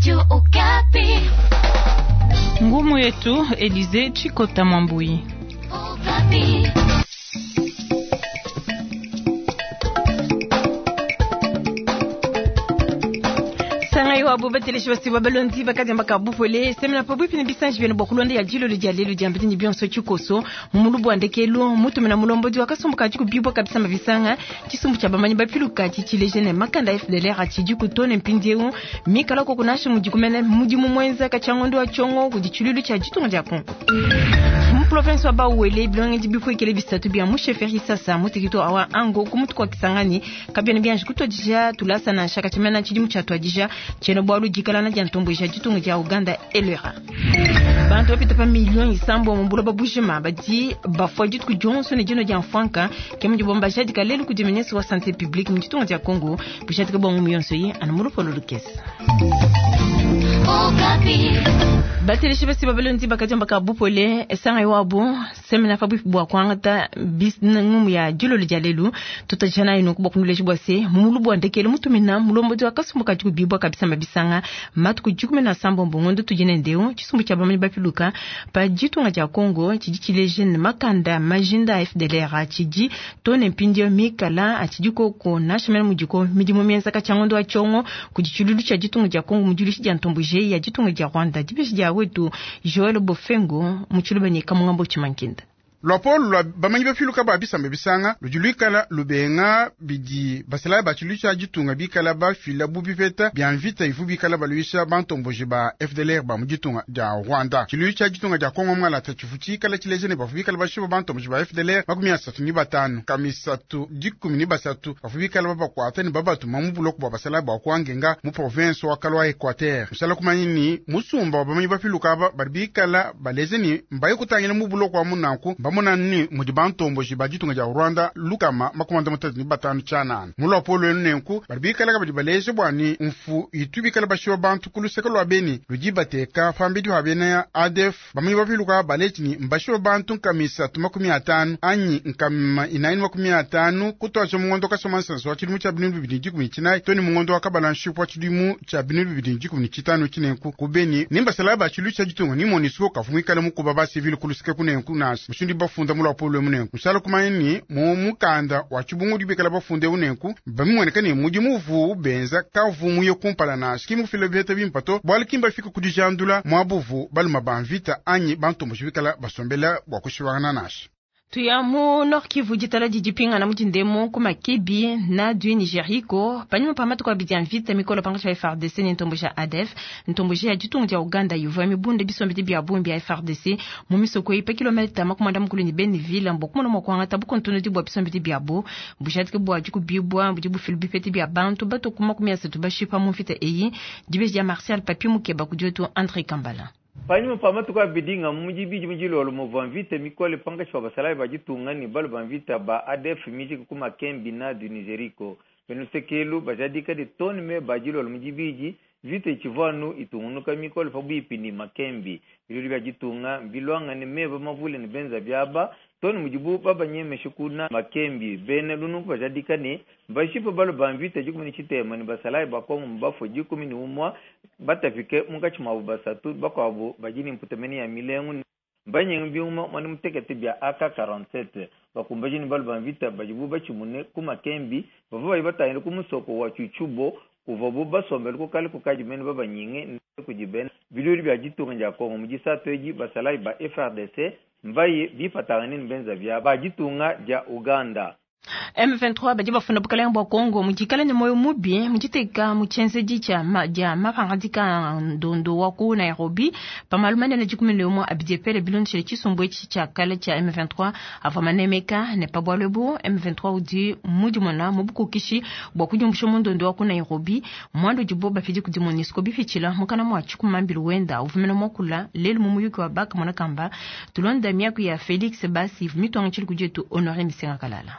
Radio Okapi. Ngumu yetu Elize Chikota Mwambui. Okapi. Sangai wabo bateleshi basi babalondi bakadiamba kabupole semena pabuipi ne bisanji byene bwa kulonda ya jilo lya lelu dia mbiti byonso chikoso mumulubu wa ndekelu mutumina mulombodi wakasumbuka chikubibwa kabisa mabisanga chisumbu cha bamanyi bapiluka chichileje ne makanda FDLR achidi kutone mpindieu mikala ko kunashe mudikumene mudimu mwenza kachangondo wa chongo kudichululu cha jitunga dia Kongo mu province wa Bauele bilonge bipuekele bisatu bia mu chefferie sasa mutekito awa ango kumutu kwa Kisangani kabyene byanje kutwadija tulasa na shaka chimena chidimu cha twadija cheno bwalu jikalana dia ntombo ja ditunga dia Uganda elera bantu bapita pa million isambo mu buloba bujima badi bafua dituku dionso ne dino dia mfanka ke mudi bomba jadika lelu kudi ministre wa santé publique mu ditunga dia Congo bujadika bwa ngumu yonso yi ana mulupolo lukesa Okapi. Bateleshi basi babalondi bakadiamba ka bupole esanga iwabo semena fa bwipi bwa kwangata ngumu ya dilolo dia lelu tutajana ino kubwa kunuleshi bwa se mumulu bwa ndekele mutumina mulombodi wa kasumbu ka dikubibwa kabisa mabisanga matuku 17 ngondo tujene ndeu chisumbu cha bamanyi bapiluka pa ditunga dia Congo chidi chileje ne makanda majinda a FDLR achidi tone mpindio mikala achidi koko nashimena mudiko midimu mienza kachangondo wa chongo kudichululu cha ditunga dia Congo mudilushi dia ntombuje ya ditunga dia Rwanda dibeshi dia wetu Joel Bofengo muchulubani kamungambo chimankinda Lwapolo lwa bamanyi bafiluka ba bisamba bisanga ludi lwikala lubenga bidi basalayi ba tshilu tshia ditunga bikala bafila bu bipeta bia mvita ivu bikala baluisha bantomboji ba FDLR ba mu ditunga dia Rwanda. Tshilu tshia ditunga dia Kongo mwalata tshivu tshikala tshileje ne bavu bikala bashiba bantomboji ba FDLR 35 kamisatu 13 bavu bikala babakwata ne babatuma mu buloko bwa basalayi bwa kuangenga mu province wa Kalwa Equateur. Musala kumanyi ni musumba wa bamanyi bafiluka aba badi bikala baleze ni mbaye kutangila mu buloko wa munanku bamona ni mudi bantomboji ba ditunga dia Rwanda lukama 35 tshianana mulwapo lwenu nenku badi bikala kabidi baleje bua ni mfu itu bikala bashiwa bantu ku luseke lua beni ludi bateka pambidi hua bena ADF bamanyi bapiluka baleji ni mbashiwa bantu nkamisatu 50 anyi nkama 450 kutwaja mungondo kasoma nsanso wa tshidimu tshia 2019 toni mungondo wa kabala nshipu wa tshidimu tshia 2015 tshinenku ku beni nimbasala ba tshilu tshia ditunga ni MONUSCO kavumikala mukuba ba civil ku luseke kunenku nasi mushindu bafunda mulwapo lwe munenku musala kumanya ni mu mukanda wa tshibungu dibikala bafunde unenku bamimweneka ni mudimu uvu benza kavu muye kumpala nasi kimufila biheta bimpato bwali kimba fika kudijandula mwabuvu baluma banvita anyi bantomboji bikala basombela bwa kushibangana nasi tuya mu Nord Kivu ditala didipingana mudindemo ku makebi na du Nigeriko panyuma pa matuku abidi ya mvita mikolo pangatshi pa FARDC ne ntombo ja ADF ntombo ja ditunga dia Uganda ivua mibunda bisombedi bia bungi bia FARDC mu misoko eyi pa kilomita 40 ne Beniville mbo kumona mua kuangata bukontonodi bua bisombedi biabo bujadike bua dikubibua budi bufilu bipete bia bantu bato ku 30 bashipa mu mvita eyi dibeji dia Martial Papi Mukeba kudi wetu André Kambala. Panyuma pa matuku abidi nga mujibiji mujilolo muvua mvita mikole pangatshi pa basalayi ba ditunga ne balu ba mvita ba ADF mijiki ku makembi na du Nigeriko benusekelu bajadika de tone me bajilolo mujibiji mvita itshivua itungunuka mikole pabuipi ne makembi bilulu bia ditunga mbilwanga ne meba mavule ne benza biaba tone mudibu babanyemeshe kuna makembi bena lununku bajadika ne mbashipa balu ba mvita 13 ne basalayi ba Kongo mbafue 11 batafike munkatshi muabu basatu bakuabu badi ne mputamene ya milengu mbanyenga biuma mwana mutekete bia AK47 bakumbaji ne balu ba mvita badibu batshimune ku makembi bavua bayi batangile ku musoko wa Chuchubo kuvabu basombele kukale kukadi mene babanyinge kudi bena bilulu bia ditunga dia Kongo mu disatu edi basalayi ba FARDC mbaye bipatangane ne benza bia ba ditunga dia Uganda. M23 badi bafunda bukalenge bua Kongo mudikala ne moyo mubi muditeka mu tshienzedi tshia dia mapangadika ndondo wa ku Nairobi pamalu manene 11 abidi epele bilondeshele tshisumbu etshi tshia kale tshia M23 avua manemeka ne pa bualu ebu M23 udi mudimona mu bukokeshi bua kudiumbusha mu ndondo wa ku Nairobi muanda udibo bafidi kudi MONUSCO bipitshila mukana mua tshikumambilu wenda uvumena muakula lelu mu muyuki wa baka mona kamba tulonda miaku ya Felix Basi mitwanga tshili kudi etu Honoré Misenga Kalala.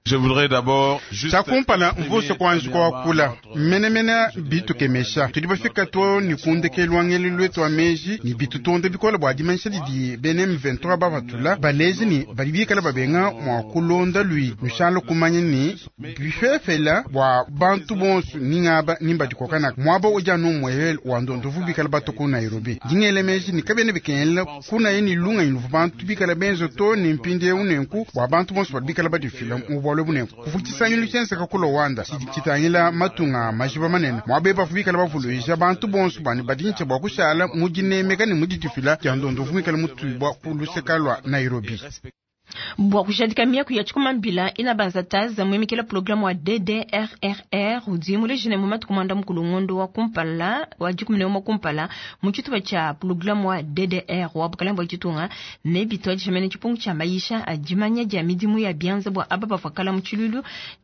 Tshia kumpala mvuse kuanji kuakula menemene bitukemesha tudi bafika to ni ku ndekelu wa ngelelu wetu wa meji ni bitutonda bikole bua dimanyisha didi bena M23 bapatula baleji ni badi bikala babenga mua kulonda lui nushala kumanya ni bifefela bua bantu bonso ningaba nimbadikokana muaba udi anu muele wa ndondovu bikala bato ku Nairobi dingele meji ni kabene bikengela kunaye ni lunga inuvu bantu bikala benzo to ni mpindieu nenku bua bantu bonso badi bikala badifila mu bualu bunenku kuvutisangilo tshienzeka ku Luanda tshidi tshitangila matunga majiba manene muaba bavu bikala bavuluija bantu bonso bani badintsha bua kushala mu dinemeka ne mu didifila dia ndondovu mikala mutubua ku luseka lua Nairobi. Bua kujadika miaku ya tshikumambila ina banzataza muimikila programu wa DDRRR udi mulejine mu matuku mwanda mukulu ngondo wa kumpala wa dikumine wa kumpala mu tshitupa tshia programu wa DDR wa bukalanga bua ditunga ne bitwa dishimene tshipungu tshia mayisha a dimanya dia midimu ya bianza bua aba bavua mu tshilulu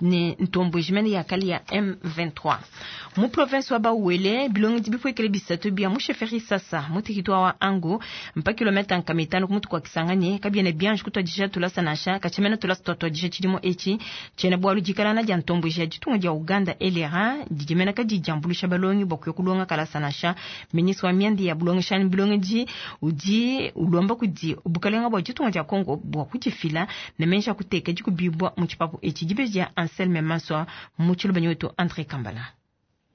ne ntombo jimene ya kali ya M23 mu province wa Bauele bilongi bipuekele bisatu bia mu chefferie sasa mu territoire wa Ango mpa kilomita nkamitano ku mutu kwa Kisangani kabiene bianji kutwadisha tulasa nasha kachimena tulasa twatwadisha tshidimo echi tshena bwalu dikalana dia ntombo ja ditunga dia Uganda elera didimena kadi diambulusha balongi bwa kuya kulonga kalasa nasha ministre wa miandi ya bulongeshani bilongi udi ulomba kudi bukalenga bwa ditunga dia Congo bwa kudifila ne mensha kuteka dikubibwa mu tshipapu echi dibeja Anselme Maswa mu tshilubanyi wetu André Kambala.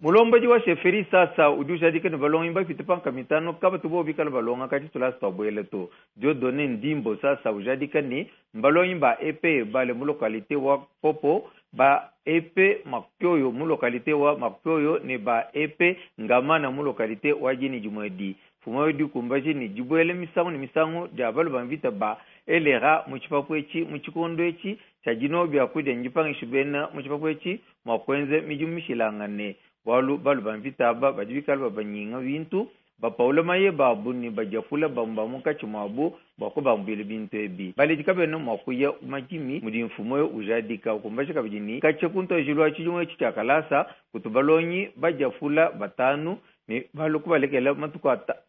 Mulombaji wa sheferi sasa udi ushadika ne balongi bafite panka mitano kaba tubo bikala balonga kati tulasa twabwele to Dieudonné Ndimbo sasa ujadika ni mbalongi ba EP bale mu localité wa Popo ba EP Makyoyo mu localité wa Makyoyo ne ba EP Ngamana mu localité wa Jini Jumwedi fumayo dikumbaji ni dibwele misangu ne misangu dia balu bamvita ba elera mu tshipapu etshi mu tshikondo etshi tshia dino bia kudia njipangisha bena mu tshipapu etshi mua kuenza midimu mishilangane bualu balu bamvita aba badi bikala babanyinga bintu bapaula maye babu ne badiafula bamba munkatshi muabu bua kubambuila bintu ebi baledi kabena mua kuya madimi mudi mfumu oyo ujadika ukumbaja kabidi ni katshia kuntojilu wa tshidimu etshi tshia kalasa kutu balongi badiafula batanu ne balu kubalekela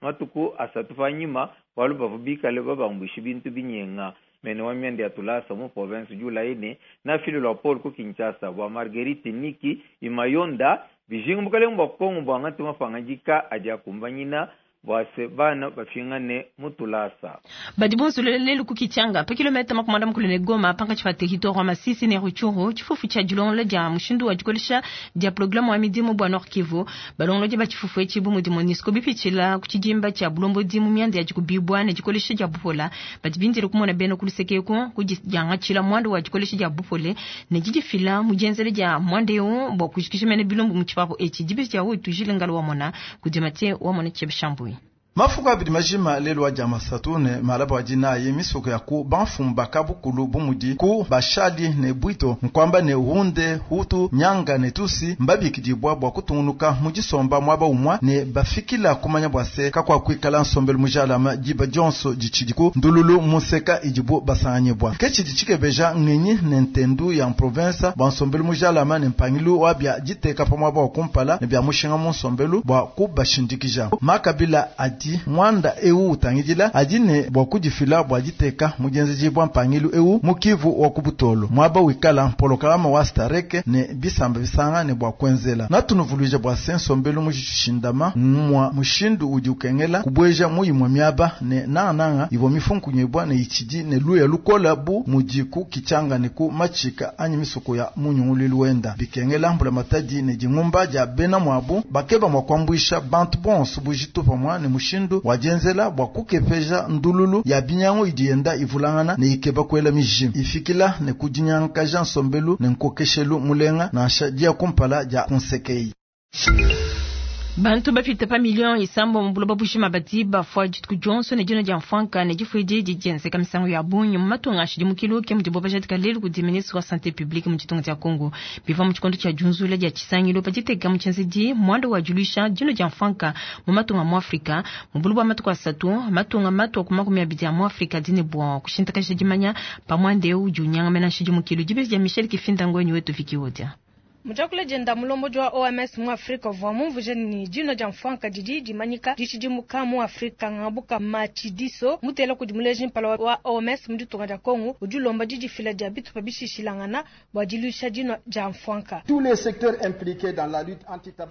matuku asatu panyima bualu bavua bikale babambuisha bintu binyenga mene wa mianda ya tulasa mu province julayi ne nafililwa Paul ku Kinshasa bua Marguerite Niki Imayonda bijinga bukalenge bua Kongo bua ngati mapangajika adi akumbanyina bua se bana bafingane mu tulasa. Badi bonso lelu ku Kichanga pa kilomita makumanda mukulu ne Goma pankatshi pa territoire wa Masisi ne Rutshuru tshifufu tshia dilongolola dia mushindu wa dikolesha dia programu wa midimu bua Nord Kivu balongolodi ba tshifufu etshi bu mudi MONUSCO bipitshila ku tshidimba tshia bulombodi mu mianda ya dikubibua ne dikolesha dia bupola badi bindile kumona bena ku luseke eku ku diangatshila muanda wa dikolesha dia bupole ne didifila mu dienzela dia muanda eu bua kujikija mene bilumbu mu tshipapu etshi dibisi dia wetu Jilingalo wa mona kudi Mathieu wa mona Tshebishambui. Mafuku abidi majima lelu wa dia masatu ne malaba wa dinayi misoko ya ku banfumba kabukulu bumudi ku bashali ne bwito nkwamba ne hunde hutu nyanga ne tusi mbabikidibwa bua kutungunuka mu disomba muaba umwa ne bafikila kumanya bua se kakua kuikala nsombelu mujalama diba dionso ditshidiku ndululu museka idibu basanganyibwa ke tshidi tshikebeja ngenyi ne ntendu ya province bua nsombelu mujalama ne mpangilu wa bia diteka pa muaba wa kumpala ne bia mushinga mu nsombelu bua kubashindikija makabila adi mwanda eu utangidila adi ne bua kudifila bua diteka mudienzeji bua mpangilu eu mukivu wa kubutolo mwaba wikala mpolokalama wa stareke ne bisamba bisanga ne bua kuenzela natunuvuluija bua se nsombelu mujishindama mwa mushindu udi ukengela kubweja muyimwe miaba ne nangananga ivua mifunkunyibwa ne itshidi ne luya lukola bu mudiku kichanga ne ku machika anyi misoko ya munyunguluilu wenda bikengela mbula matadi ne dingumba dia bena mwabu bakeba mwa kuambuisha bantu bonso bujitu pamwa ne mushindu wadienzela bua kukepeja ndululu ya binyangu idi yenda ivulangana ne ikeba kuela mijimu ifikila ne kudinyankaja nsombelu ne nkokeshelu mulenga nansha dia kumpala dia kunsekei. Bantu bafite pa million isambo mu buloba bushima badi bafua dituku dionso ne dino dia mfanka ne difuidi didienzeka misangu ya bungi mu matunga ashidi mukilu ke mudibo bajadika lelu kudi ministre wa santé publique mu ditunga dia Congo biva mu tshikondo tshia junzula dia tshisangilo baditeka mu tshienzedi mwanda wa diluisha dino dia mfanka mu matunga mu Afrika mu buloba matuku asatu matunga matua ku 20 ya mu Afrika dine bua kushintakaja dimanya pa mwanda eu udi unyanga mena nshidi mukilu dibezi dia Michel Kifinda ngwenyi wetu Viki Odia. Mu diakula dienda, mulombodi wa OMS mu Afrika uvua mumvuije ne, dinua dia mfuanka didi dimanyika dishidimuka mu Afrika. Ngabuka Matshidiso, mutela kudi muleji mpala wa OMS mu ditunga dia Kongo, udi ulomba didifila dia bitupa bishishilangana bua diluisha dinua dia mfuanka.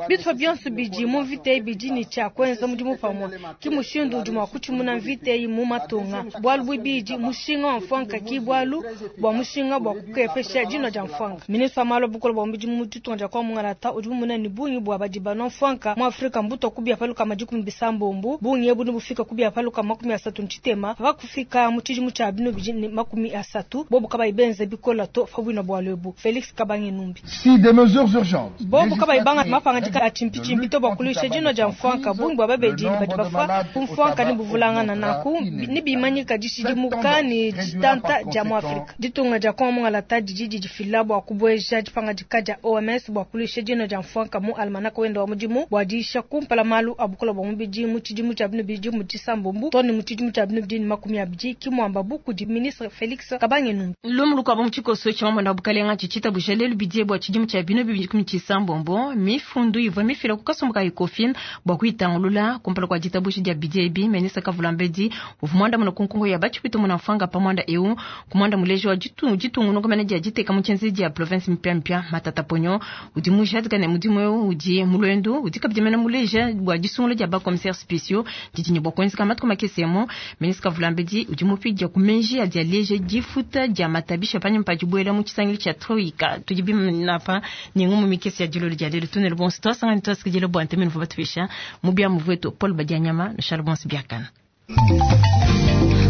Bitupa bionso bidi mu mvita eyi bidi ne tshia kuenza mudimu pamue, ki mushindu udi mua kutshimuna mvita eyi mu matunga. Bualu buibidi, mushinga wa mfuanka ki bualu bua mushinga bua kukepesha dinua dia mfuanka. Ministre wa malu a bukole bua mubidi mu ditunga dia Kongo Mungalata udi mumona ne bungi bua badi banua mfuanka mu Afrika mbutua ku bia pa 160. Bungi ebu nebufika ku bia pa 33 pa kufika mu tshidimu tshia 2030 bobu kabayi benze bikola to pa buina bualu ebu. Felix Kabange Numbi. Si des mesures urgentes Bobu kabayi bangata mapangadika a tshimpitshimpi to bua kuluisha dinua dia mfuanka, bungi bua babedi ne badi bafua ku mfuanka nebuvulangana. Nanku nebimanyika dishidimuka ne ditanta dia mu Afrika. Ditunga dia Kongo Mungalata didi didifila bua kubueja dipangadika dia OMS bua kuluisha dinua dia mfuanka mu almanaka wenda wa mudimu bua diyisha kumpala malu a bukole bua mubidi mu tshidimu tshia 2030 too ne mu tshidimu tshia 2020, ki muambabu kudi ministre Felix Kabange Numbi. Lumu lukuabu mu tshikoso tshia mamona wa bukalenga tshitshitabusha lelu bidie bua tshidimu tshia 2026, mifundu ivua mifila ku kasumbu ka Ecofin bua kuyitangulula kumpala kua ditabusha dia bidie ebi. Ministre Kavula Mbedi uvua muandamuna ku nkonko ya batshipito muna mfanga pa muanda eu, ku muanda muleji wa ditungunuka mene dia diteka mu tshienzedi dia province mipiamipia. Matata Ponyo udi mujadika ne mudimu eu udi mu luendu, udi kabidi mene muleja bua disungula dia ba commissaires spéciaux didi ne bua kuenzeka matuku makese emu. Ministre Kavula Mbedi udi mupidia ku menji adi aleja difuta dia matabisha panyima pa dibuela mu tshisangilu tshia troika. Tudi bimanapa ne ngumu mikese ya dilolo dia lelu. Tunele bonso twasangani twasikidile bua ntemenu vua batupesha mu biamu vwetu Paul Badianyama na Charles Bonso Biakana.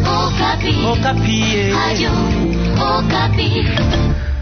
Okapi. Okapi. Radio Okapi.